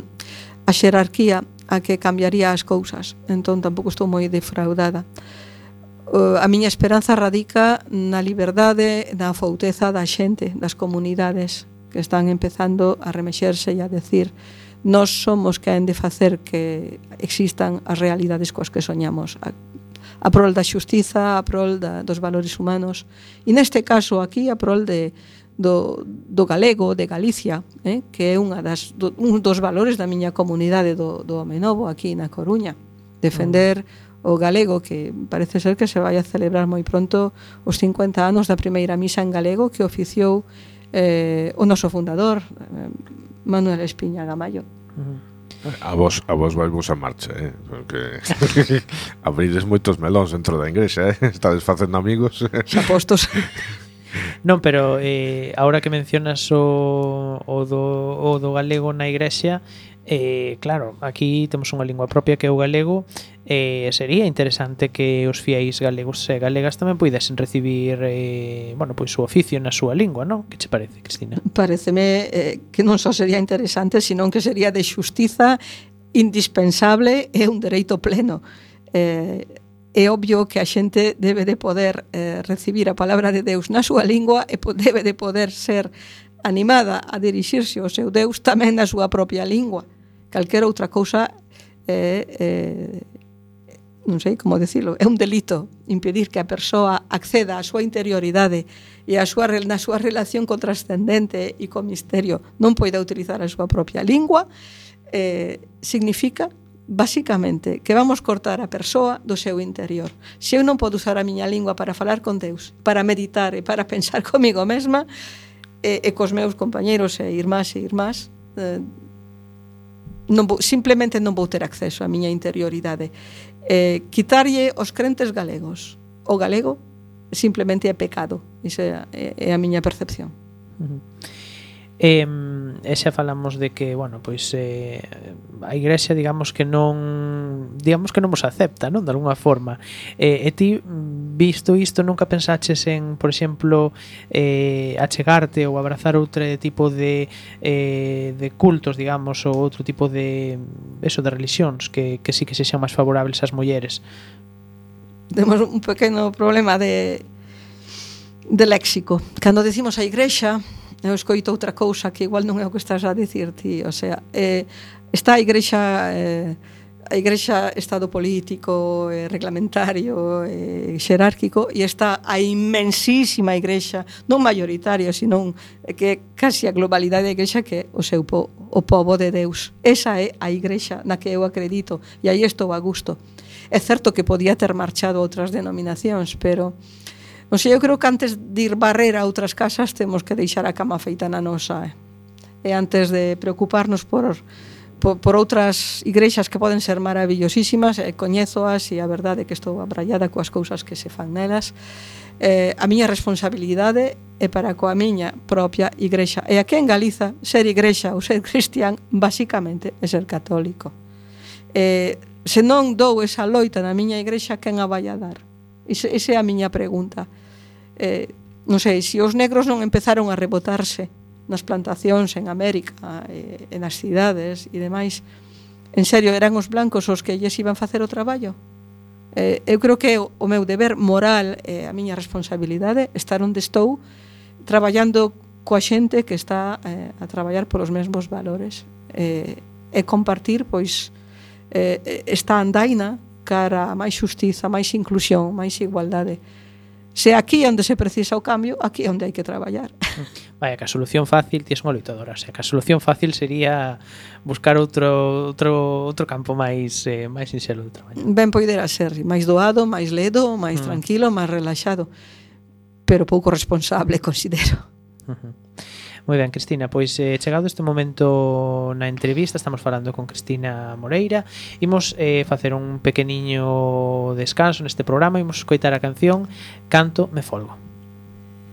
a xerarquía a que cambiaría as cousas, entón tampouco estou moi defraudada. Uh, a miña esperanza radica na liberdade, na fouteza da xente, das comunidades que están empezando a remexerse e a decir nós somos que han de facer que existan as realidades coas que soñamos, a, a prol da xustiza, a prol da, dos valores humanos, e neste caso aquí a prol de, do, do galego, de Galicia, eh, que é unha das, do, un dos valores da miña comunidade do, do Home Novo aquí na Coruña, defender mm. o galego, que parece ser que se vai a celebrar moi pronto os cincuenta anos da primeira misa en galego que oficiou eh, o noso fundador, eh, Manuel Espiña Gamallo. Uh-huh. A vos, a vos vai vos a marcha, eh? Porque abrides moitos melóns dentro da igrexa, eh? Estades facendo amigos. Xa postos. Non, pero eh, ahora que mencionas o, o, do, o do galego na igrexa, eh, claro, aquí temos unha lingua propia que é o galego, eh, sería interesante que os fiéis galegos e galegas tamén puidesen recibir eh, bueno, pois o oficio na súa lingua, non? Que che parece, Cristina? Pareceme eh, que non só sería interesante, senón que sería de xustiza indispensable e un dereito pleno. Eh, é obvio que a xente debe de poder eh, recibir a palabra de Deus na súa lingua e debe de poder ser animada a dirixirse ao seu Deus tamén na súa propia lingua. Calquera outra cousa é, é, non sei como decirlo, é un delito impedir que a persoa acceda á súa interioridade e a súa, na súa relación co trascendente e co misterio non poida utilizar a súa propia lingua, eh, significa basicamente que vamos cortar a persoa do seu interior. Se eu non podo usar a miña lingua para falar con Deus, para meditar e para pensar comigo mesma e, e cos meus compañeros e irmás e irmás, eh, non vou, simplemente non vou ter acceso á miña interioridade. Eh, quitarlle os crentes galegos o galego simplemente é pecado. Esa é, é a miña percepción. Uh-huh. E, e xa falamos de que, bueno, pois eh, a Igrexa, digamos que non digamos que non vos acepta, non? De alguna forma. E, e ti, visto isto, nunca pensaches en, por exemplo, eh, achegarte ou abrazar outro tipo de eh, de cultos, digamos, ou outro tipo de eso, de religións que, que sí que sexan máis favorables ás mulleres? Temos un pequeno problema de de léxico. Cando decimos a Igrexa, eu escoito outra cousa que igual non é o que estás a dicir ti, o sea, eh, está a Igrexa eh, a Igrexa estado político, eh, reglamentario, eh, xerárquico, e está a inmensísima Igrexa, non mayoritaria, sino que é casi a globalidade da Igrexa, que é o seu po, o pobo de Deus. Esa é a Igrexa na que eu acredito, e aí estou a gusto. É certo que podía ter marchado a outras denominacións, pero non sei, eu creo que antes de ir barrer a outras casas temos que deixar a cama feita na nosa, eh? E antes de preocuparnos por, por, por outras igrexas que poden ser maravillosísimas, eh, coñézoas e a verdade é que estou abrallada coas cousas que se fan nelas, eh, a miña responsabilidade é para coa miña propia igrexa. E aquí en Galiza, ser igrexa ou ser cristián basicamente é ser católico. Eh, se non dou esa loita na miña igrexa, quen a vai a dar? Esa é a miña pregunta. Eh, non sei, se os negros non empezaron a rebotarse nas plantacións en América e, e nas cidades e demais, en serio, eran os blancos os que lles iban facer o traballo? Eh, eu creo que o, o meu deber moral e a miña responsabilidade estar onde estou traballando coa xente que está eh, a traballar polos mesmos valores eh, e compartir, pois, eh, esta andaina cara a máis xustiza, máis inclusión, máis igualdade. Se aquí é onde se precisa o cambio, aquí é onde hai que traballar. Vaya, que a solución fácil, ti és unha loitadora, o sea, que a solución fácil sería buscar outro outro outro campo máis eh, máis sinxelo de traballo. Ben poidera ser máis doado, máis ledo, máis mm. tranquilo, máis relaxado, pero pouco responsable, considero. Uh-huh. Moi ben, Cristina, pois eh, chegado este momento na entrevista, estamos falando con Cristina Moreira, imos eh, facer un pequeniño descanso neste programa, imos escoitar a canción Canto me folgo.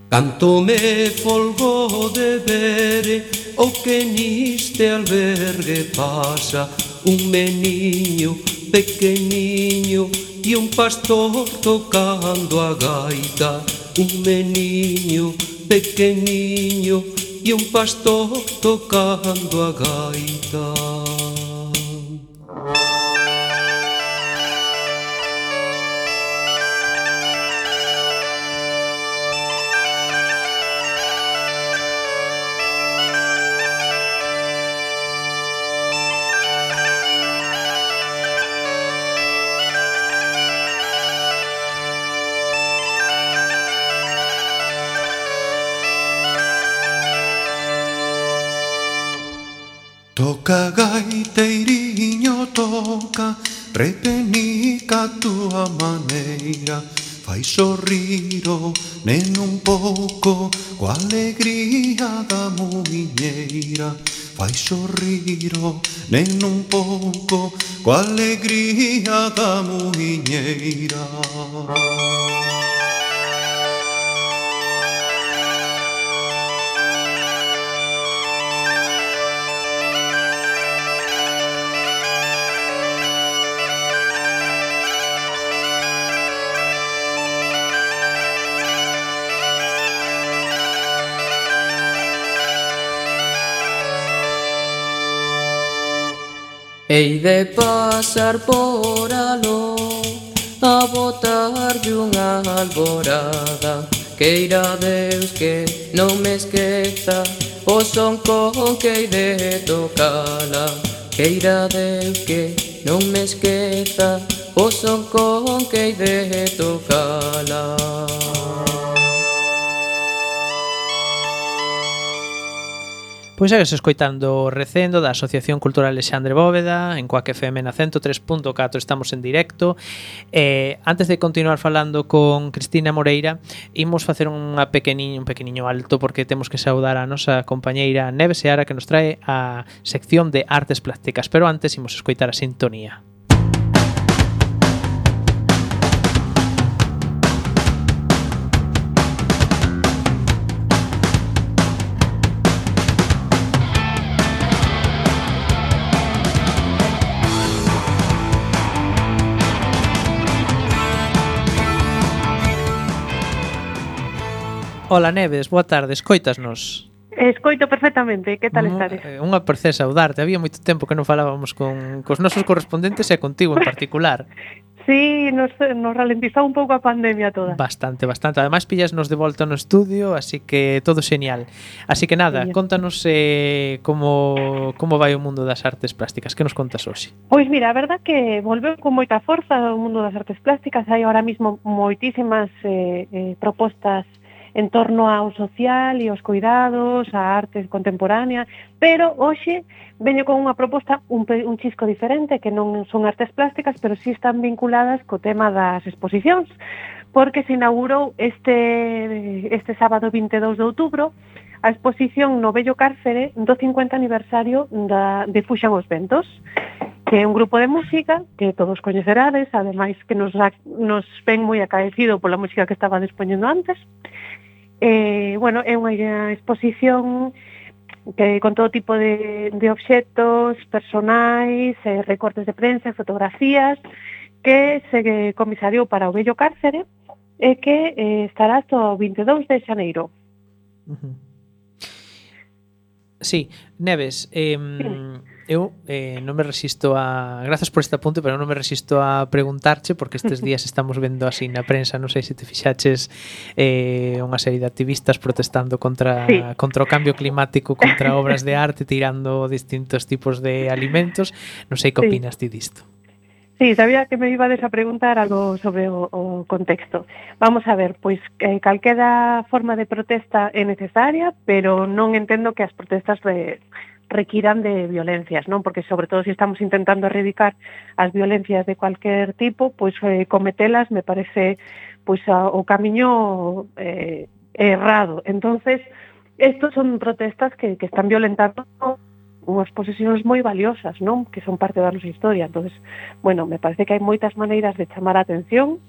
Canto me folgo de ver o que niste albergue pasa un meniño pequeniño e un pastor tocando a gaita, un meniño pequeniño e un pastor tocando a gaita. Toca gaiteiriño, toca, repenica a túa maneira, fai sorrir o neno un pouco coa alegría da muiñeira, fai sorrir o neno un pouco coa alegría da muiñeira. Hei de pasar por aló a botarlle unha alborada, queira Deus que non me esqueza o son con que hei de tocala, queira Deus que non me esqueza o son con que de tocala. Pois segues escoitando Recendo da Asociación Cultural Alexandre Bóveda en Coac F M na cento tres punto catro, estamos en directo. Eh, antes de continuar falando con Cristina Moreira, imos facer unha pequeniño, un pequeniño alto porque temos que saudar a nosa compañeira Neve Seara que nos trae a sección de artes plásticas, pero antes imos escoitar a sintonía. Hola Neves, boa tarde, escoitasnos? Escoito perfectamente, que tal estades? Unha prazer saudarte, había moito tempo que non falábamos con cos nosos correspondentes e contigo en particular. Sí, nos, nos ralentizou un pouco a pandemia toda. Bastante, bastante. Ademais pillasnos de volta no estudio, así que todo xenial. Así que nada, Genial. Contanos eh, como, como vai o mundo das artes plásticas, que nos contas hoxe? Pois mira, a verdad que volveu con moita forza o mundo das artes plásticas, hai ahora mismo moitísimas eh, eh, propostas en torno ao social e aos cuidados, a arte contemporánea, pero hoxe veño con unha proposta un, un chisco diferente, que non son artes plásticas, pero sí están vinculadas co tema das exposicións, porque se inaugurou este, este sábado vinte e dous de outubro a exposición no Vello Cárcere do cincuenta aniversario da, de Fuxan os Ventos, que é un grupo de música que todos coñecerades, ademais que nos, nos ven moi acaecido pola música que estaba dispoñendo antes. Eh, bueno, é unha exposición que con todo tipo de, de obxectos personais, eh, recortes de prensa, fotografías, que se comisariou para o Vello Cárcere e que eh, estará hasta o vinte e dous de xaneiro. Uh-huh. Sí, Neves, eh, eu eh, non me resisto a... Grazas por este apunte, pero non me resisto a preguntarche, porque estes días estamos vendo así na prensa, non sei se te fixaches eh, unha serie de activistas protestando contra, sí. contra o cambio climático, contra obras de arte, tirando distintos tipos de alimentos. Non sei que opinas ti disto. Sí, sabía que me ibades a preguntar algo sobre o, o contexto. Vamos a ver, pois eh, calquera forma de protesta é necesaria, pero non entendo que as protestas re, requiran de violencias, non? Porque sobre todo se si estamos intentando erradicar as violencias de cualquier tipo, pois eh, cometelas me parece pois a, o camiño eh, errado. Entonces, estos son protestas que, que están violentando unhas posesións moi valiosas, non? Que son parte da nosa historia. Entonces, bueno, me parece que hai moitas maneiras de chamar a atención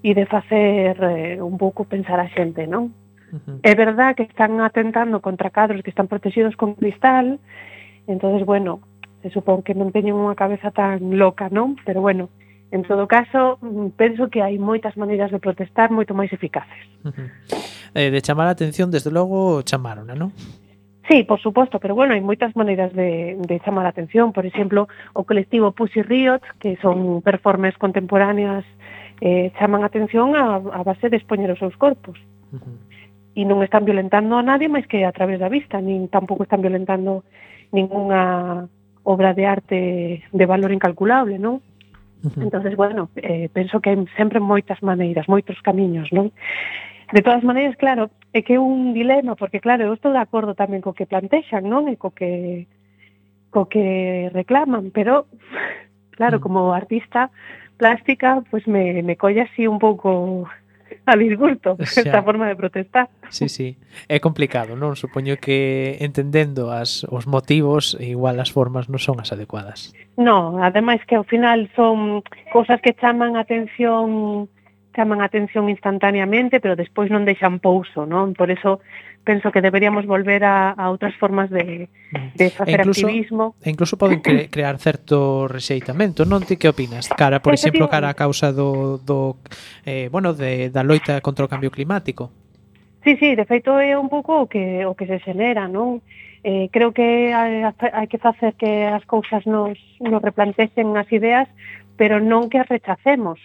e de facer eh, un pouco pensar a xente, non? Uh-huh. É verdad que están atentando contra cadros que están protegidos con cristal, entonces, bueno, se supón que non teñen unha cabeza tan loca, non? Pero, bueno, en todo caso, penso que hai moitas maneiras de protestar moito máis eficaces. Uh-huh. Eh, de chamar a atención, desde logo, chamarona, non? Sí, por suposto, pero bueno, hai moitas maneiras de, de chamar a atención. Por exemplo, o colectivo Pussy Riot, que son performers contemporáneas, eh, chaman a atención a, a base de expoñer os seus corpos. Uh-huh. E non están violentando a nadie máis que a través da vista, nin tampouco están violentando ningunha obra de arte de valor incalculable, non? Uh-huh. Entonces, bueno, eh, penso que hai sempre moitas maneiras, moitos camiños, non? De todas maneiras, claro, é que é un dilema, porque claro, eu estou de acordo tamén co que plantexan, non? E co que co que reclaman, pero claro, como artista plástica, pues me, me colle así un pouco a disgusto esta forma de protestar. Sí, sí, é complicado, non? Supoño que entendendo as, os motivos, igual as formas non son as adecuadas. No, ademais que ao final son cousas que chaman a atención chaman a atención instantáneamente, pero despois non deixan pouso, non? Por eso penso que deberíamos volver a, a outras formas de, de facer e incluso, activismo. E incluso poden cre crear certo rexeitamento, non? Ti que opinas? Cara, por exemplo, cara a causa do, do eh, bueno, de, da loita contra o cambio climático. Sí, sí, de feito é un pouco o que, o que se xenera, non? Eh, creo que hai, hai que facer que as cousas nos, nos replantexen as ideas, pero non que as rechacemos.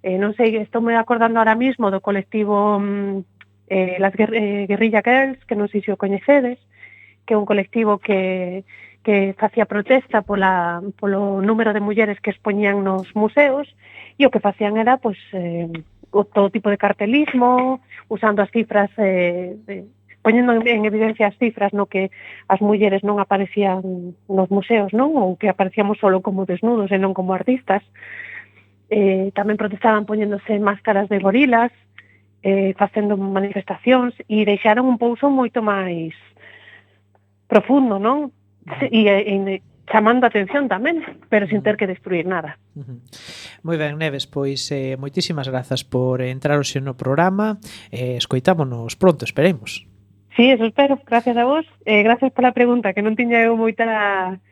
Eh, non sei, estou me acordando ahora mismo do colectivo eh, las Guer eh, Guerrilla Girls, que non sei se o coñecedes, que é un colectivo que, que facía protesta pola, polo número de mulleres que expoñían nos museos, e o que facían era, pois, eh, todo tipo de cartelismo, usando as cifras, eh, de, poñendo en evidencia as cifras no que as mulleres non aparecían nos museos, non? Ou que aparecíamos solo como desnudos e non como artistas. Eh, tamén protestaban poñéndose máscaras de gorilas, eh, facendo manifestacións, e deixaron un pouso moito máis profundo, non? E, e chamando a atención tamén, pero sin ter que destruir nada. Uh-huh. Moi ben, Neves, pois eh, moitísimas grazas por entrar hoxe no programa. Eh, escoitámonos pronto, esperemos. Sí, eso espero. Gracias a vos. Eh, gracias pola pregunta, que non tiña eu moita...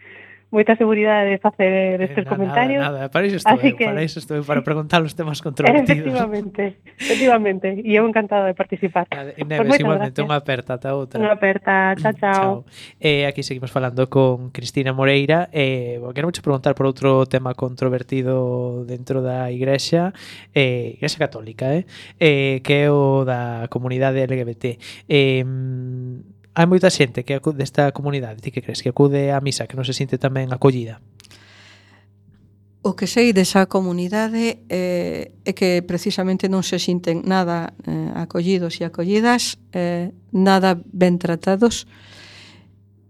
moita seguridade de facer estes eh, nada, comentarios. Nada, nada, para iso estou eu, que... para iso estou eu, para preguntar os temas controvertidos. Efectivamente, efectivamente, e eu encantada de participar. Nada, Neves, pues igualmente, unha aperta, ata outra. Unha aperta, chao, chao. chao. Eh, aquí seguimos falando con Cristina Moreira. Eh, quero mucho preguntar por outro tema controvertido dentro da Igrexa, eh, Igrexa Católica, eh, eh, que é o da comunidade L G B T. Eh, hai moita xente que acude desta comunidade, ti que crees, que acude á misa, que non se sinte tamén acollida? O que sei desa comunidade eh, é que precisamente non se sinten nada eh, acollidos e acollidas, eh, nada ben tratados,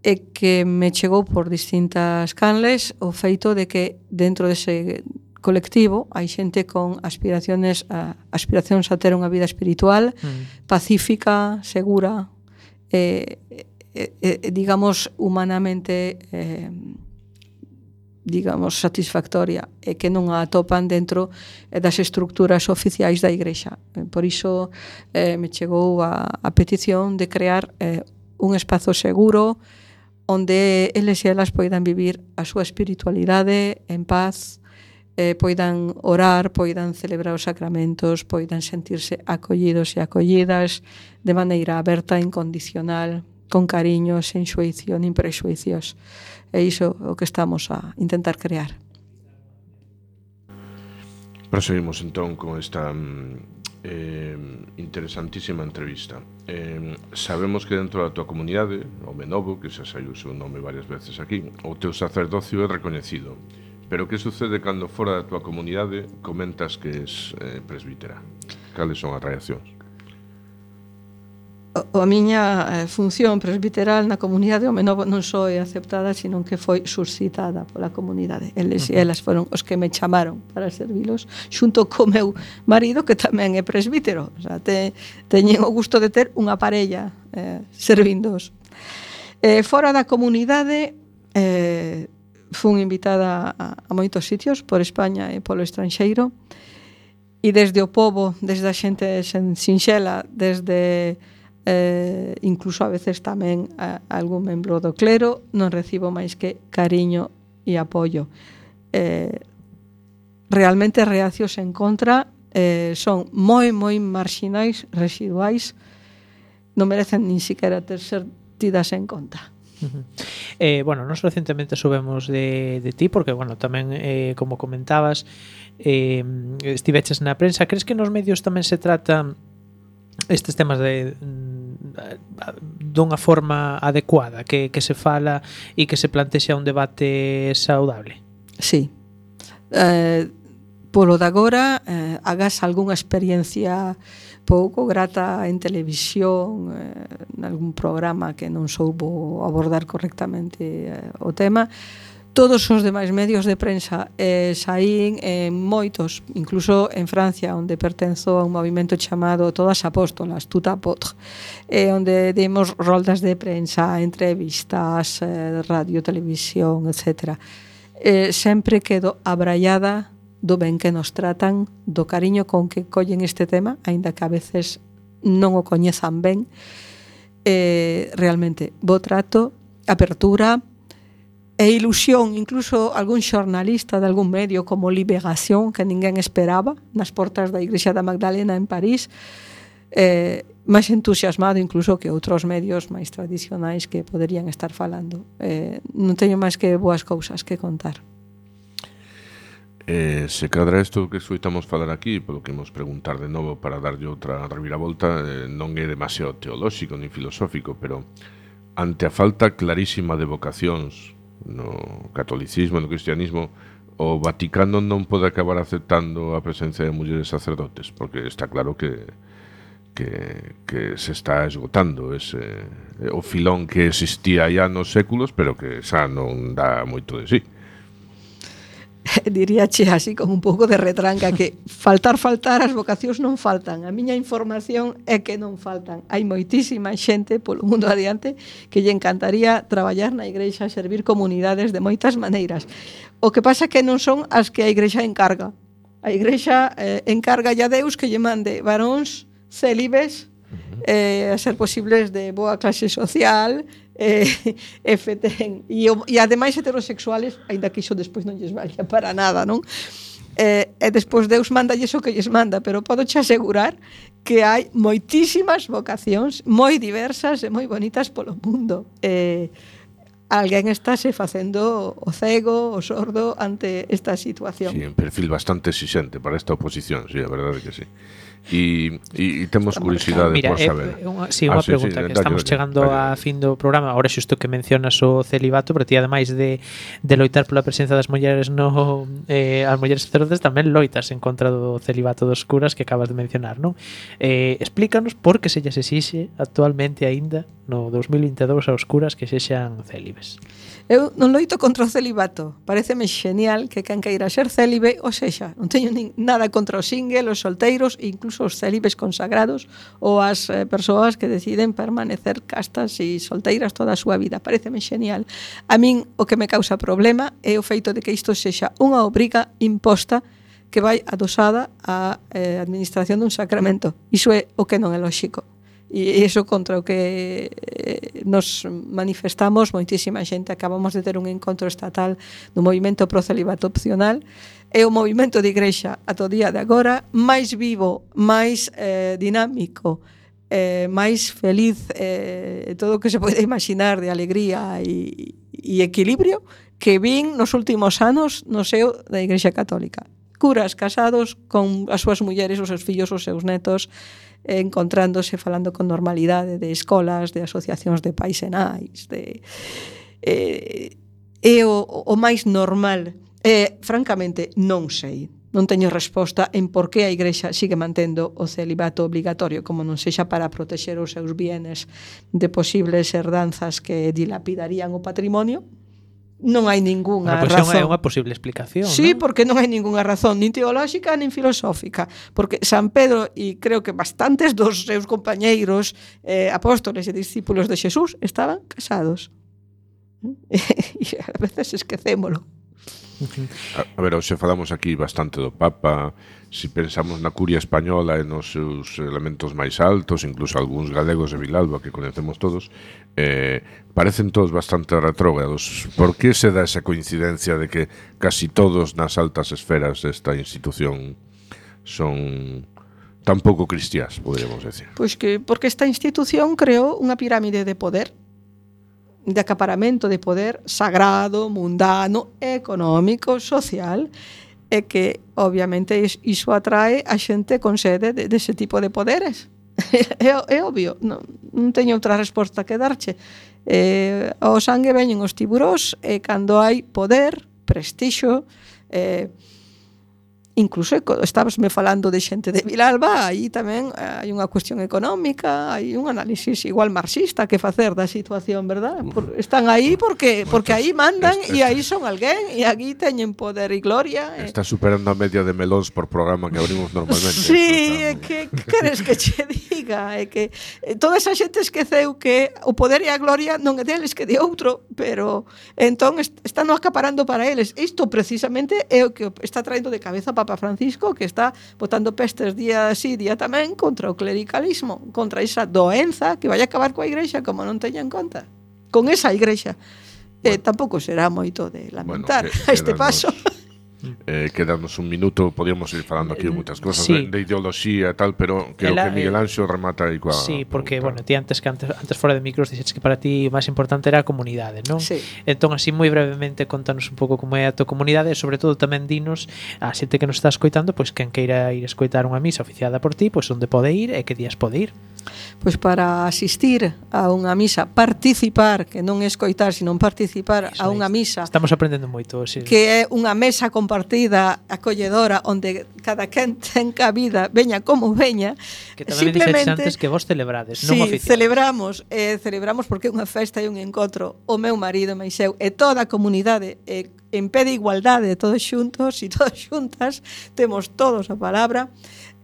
e que me chegou por distintas canles o feito de que dentro dese colectivo hai xente con aspiraciones a, aspiracións a ter unha vida espiritual mm. pacífica, segura, Eh, eh, eh, digamos humanamente eh, digamos satisfactoria e que non a atopan dentro das estructuras oficiais da Igrexa. Por iso eh, me chegou a, a petición de crear eh, un espazo seguro onde eles e elas poidan vivir a súa espiritualidade en paz, eh, poidan orar, poidan celebrar os sacramentos, poidan sentirse acollidos e acollidas de maneira aberta, incondicional, con cariño, sen xuízo, nin prexuicios. É iso o que estamos a intentar crear. Proseguimos entón con esta eh, interesantísima entrevista. Eh, sabemos que dentro da tua comunidade, o Menovo, que xa saiu o seu nome varias veces aquí, o teu sacerdocio é recoñecido. Pero que sucede cando fora da tua comunidade comentas que és eh, presbítera? Cales son as reaccións? O, a miña eh, función presbiteral na comunidade home non, non só é aceptada, sino que foi suscitada pola comunidade. Eles e elas foron os que me chamaron para servilos, xunto co meu marido, que tamén é presbítero. O sea, te, teñen o gusto de ter unha parella eh, servindos. Eh, fora da comunidade... Eh, fun invitada a, a moitos sitios por España e polo estranxeiro, e desde o pobo, desde a xente sinxela, desde eh, incluso a veces tamén a, a algún membro do clero, non recibo máis que cariño e apoio. Eh, realmente reacios en contra eh, son moi, moi marxinais, residuais, non merecen nin siquiera ter ser tidas en conta. Uh-huh. Eh, bueno, nos recentemente subemos de, de ti porque, bueno, tamén eh, como comentabas eh, estiveches na prensa. Crees que nos medios tamén se tratan estes temas de dunha forma adecuada, que, que se fala e que se plantexa un debate saudable? Sí. Eh, polo de agora eh, hagas algunha experiencia pouco grata en televisión, eh, en algún programa que non soubo abordar correctamente eh, o tema. Todos os demais medios de prensa eh, saín en moitos, incluso en Francia, onde pertenzo a un movimento chamado Todas Apóstolas, Tout Apôtre, eh, onde demos roldas de prensa, entrevistas, eh, radio, televisión, etcétera. Eh, sempre quedo abraiada do ben que nos tratan, do cariño con que collen este tema, aínda que a veces non o coñezan ben. Eh, realmente, bo trato, apertura e ilusión, incluso algún xornalista de algún medio como Liberación, que ninguén esperaba, nas portas da Igrexa da Magdalena en París, eh, máis entusiasmado incluso que outros medios máis tradicionais que poderían estar falando. Eh, non teño máis que boas cousas que contar. Eh, se cadra isto que escoitamos falar aquí, polo que imos preguntar de novo para darlle outra reviravolta, eh, non é demasiado teolóxico nin filosófico, pero ante a falta clarísima de vocacións no catolicismo, no cristianismo, o Vaticano non pode acabar aceptando a presencia de mulleres sacerdotes, porque está claro que que, que se está esgotando ese o filón que existía ya nos séculos, pero que xa non dá moito de sí. Diríache así con un pouco de retranca que faltar, faltar, as vocacións non faltan. A miña información é que non faltan. Hai moitísima xente polo mundo adiante que lle encantaría traballar na igrexa, servir comunidades de moitas maneiras. O que pasa é que non son as que a igrexa encarga. A igrexa eh, encarga a Deus que lle mande varóns célibes, eh, a ser posibles de boa clase social, eh, e feten e, e ademais heterosexuales, aínda que iso despois non lles valía para nada, non? Eh, e despois Deus manda iso que lles manda, pero podo che asegurar que hai moitísimas vocacións moi diversas e moi bonitas polo mundo. Eh, alguén estáse facendo o cego, o sordo ante esta situación. Sí, un perfil bastante exixente para esta oposición, sí, a verdade que sí. E, e, e temos curiosidade Mira, por saber. Eh, unha, sí, unha ah, pregunta, sí, sí, que estamos dalle, chegando dalle. a fin do programa. Ahora xusto que mencionas o celibato, pero ti ademais de, de loitar pola presencia das mulleres no eh, as mulleres sacerdotes tamén loitas en contra do celibato dos curas que acabas de mencionar, non? Eh, explícanos por que se lles exixe actualmente aínda no dos mil vinte e dous aos curas que sexan célibes. Eu non loito contra o celibato. Paréceme genial que quen queira ser célibe, ou sexa, non teño nin, nada contra os single, os solteiros e incluso os célibes consagrados ou as eh, persoas que deciden permanecer castas e solteiras toda a súa vida. Paréceme genial. A min o que me causa problema é o feito de que isto sexa unha obriga imposta que vai adosada á eh, administración dun sacramento. Iso é o que non é lóxico. E iso contra o que nos manifestamos moitísima xente. Acabamos de ter un encontro estatal do movimento pro celibato opcional. É o movimento de igrexa ata o día de agora máis vivo, máis eh, dinámico, eh, máis feliz, eh, todo o que se pode imaginar de alegría e, e equilibrio que vin nos últimos anos no seo da Igrexa Católica. Curas casados con as súas mulleres, os seus fillos, os seus netos, encontrándose, falando con normalidade de escolas, de asociacións de pais e nais, de eh, é o, o máis normal. Eh, francamente, non sei. Non teño resposta en por que a Igrexa sigue mantendo o celibato obligatorio, como non sexa para protexer os seus bienes de posibles herdanzas que dilapidarían o patrimonio. Non hai ningunha bueno, pues razón. É unha posible explicación. Sí, ¿no? Porque non hai ningunha razón, nin teolóxica, nin filosófica. Porque San Pedro, e creo que bastantes dos seus compañeiros eh, apóstoles e discípulos de Xesús estaban casados. E a veces esquecémolo. A, a ver, hoxe falamos aquí bastante do Papa. Si pensamos na curia española e nos seus elementos máis altos, incluso algúns galegos de Vilalba que conhecemos todos, eh, parecen todos bastante retrógrados. Por que se dá esa coincidencia de que casi todos nas altas esferas desta institución son tan pouco cristiás, poderíamos decir? Pois que porque esta institución creou unha pirámide de poder, de acaparamento de poder sagrado, mundano, económico, social, e que, obviamente, iso atrae a xente con sede de, de ese tipo de poderes. é, é obvio, non, non teño outra resposta que darche. Eh, ao sangue veñen os tiburós e cando hai poder, prestixo, eh, incluso estabasme falando de xente de Vilalba, aí tamén hai unha cuestión económica, hai un análisis igual marxista que facer da situación, verdad? Por, están aí porque porque aí mandan e aí son alguén e aquí teñen poder e gloria. Está superando a media de melóns por programa que abrimos normalmente. Sí, é que, que queres que che diga? É que toda esa xente esqueceu que o poder e a gloria non é deles que de outro, pero entón están acaparando para eles. Isto precisamente é o que está traendo de cabeza para Papa Francisco, que está botando pestes día así, día tamén, contra o clericalismo, contra esa doenza que vai acabar coa Igrexa, como non teña en conta. Con esa Igrexa. Bueno, eh, tampouco será moito de lamentar bueno, que, a este paso. Eh, quedarnos un minuto, podíamos ir falando aquí de moitas cosas, sí. de, de ideoloxía e tal, pero creo Ela, que Miguel Anxo remata aí coa... Sí, porque, bueno, ti antes que antes, antes fora de micros dixetes que para ti o máis importante era a comunidade, non? Sí. Entón, así moi brevemente contanos un pouco como é a tua comunidade e, sobre todo, tamén dinos a xente que nos está escoitando, pois quen queira ir escoitar unha misa oficiada por ti, pois onde pode ir e que días pode ir. Pois para asistir a unha misa, participar, que non é escoitar, sino participar Eso a unha é. misa, Estamos aprendendo moito, sí. que é unha mesa compartida, acolledora, onde cada quen ten cabida, veña como veña. Que tamén me dixetes antes que vos celebrades, non Sí, oficiais. celebramos, eh, celebramos porque é unha festa e un encontro. O meu marido, máis eu, e toda a comunidade eh, en pé de igualdade, todos xuntos e todas xuntas, temos todos a palabra.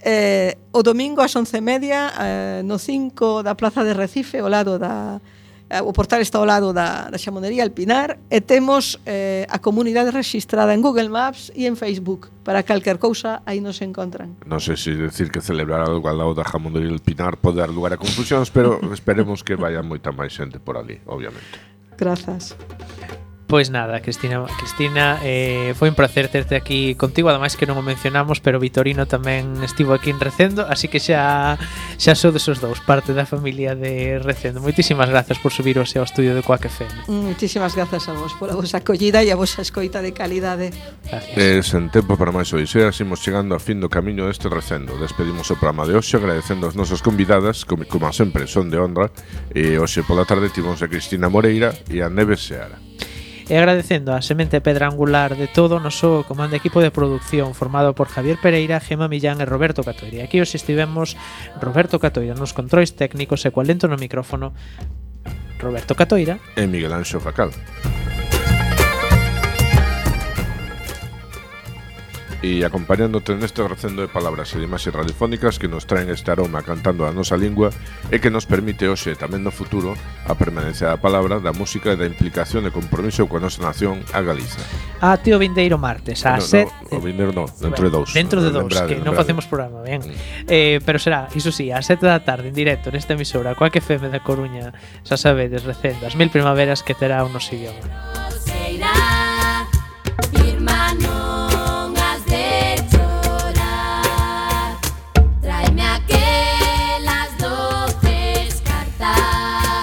Eh, o domingo ás once e media eh, no cinco da Plaza de Recife, ao lado da eh, o portal está ao lado da, da Xamonería El Pinar, e temos eh, a comunidade registrada en Google Maps e en Facebook. Para calquer cousa aí nos encontran. Non sei se decir que celebrar algo al lado da Jamondería El Pinar pode dar lugar a confusións, pero esperemos que vaya moita máis xente por ali, obviamente. Grazas. Pois nada, Cristina, Cristina eh, foi un placer terte aquí contigo, ademais que non o mencionamos, pero Vitorino tamén estivo aquí en Recendo, así que xa xa sodes os dous, parte da familia de Recendo. Moitísimas grazas por subirose ao estudio de Quack F M. Muchísimas grazas a vos pola vosa acollida e a vosa escoita de calidade. Gracias. E sen tempo para máis odiseas, imos chegando a fin do camiño deste Recendo. Despedimos o programa de hoxe agradecendo as nosas convidadas, como, como sempre son de honra, e hoxe pola tarde tivemos a Cristina Moreira e a Neves Seara. E agradecendo a semente pedra angular de todo o noso comando equipo de producción formado por Javier Pereira, Gema Millán e Roberto Catoira. Aquí os estivemos Roberto Catoira nos controis técnicos e coa lento no micrófono Roberto Catoira E Miguel Anxo Facal. E acompañándote neste recendo de palabras e de imaxes radiofónicas que nos traen este aroma cantando a nosa lingua e que nos permite hoxe e tamén no futuro a permanencia da palabra, da música e da implicación e compromiso coa nosa nación, a Galiza. a tío vindeiro martes a No, sete. no, o vindeiro non, dentro de dous. Dentro de dous, Lembrade, que non lembrade. facemos programa, ben. Mm. Eh, pero será, iso sí, a sete da tarde en directo nesta emisora Quack F M da Coruña, xa sabedes, Recendo, as mil primaveras que terá o noso idioma.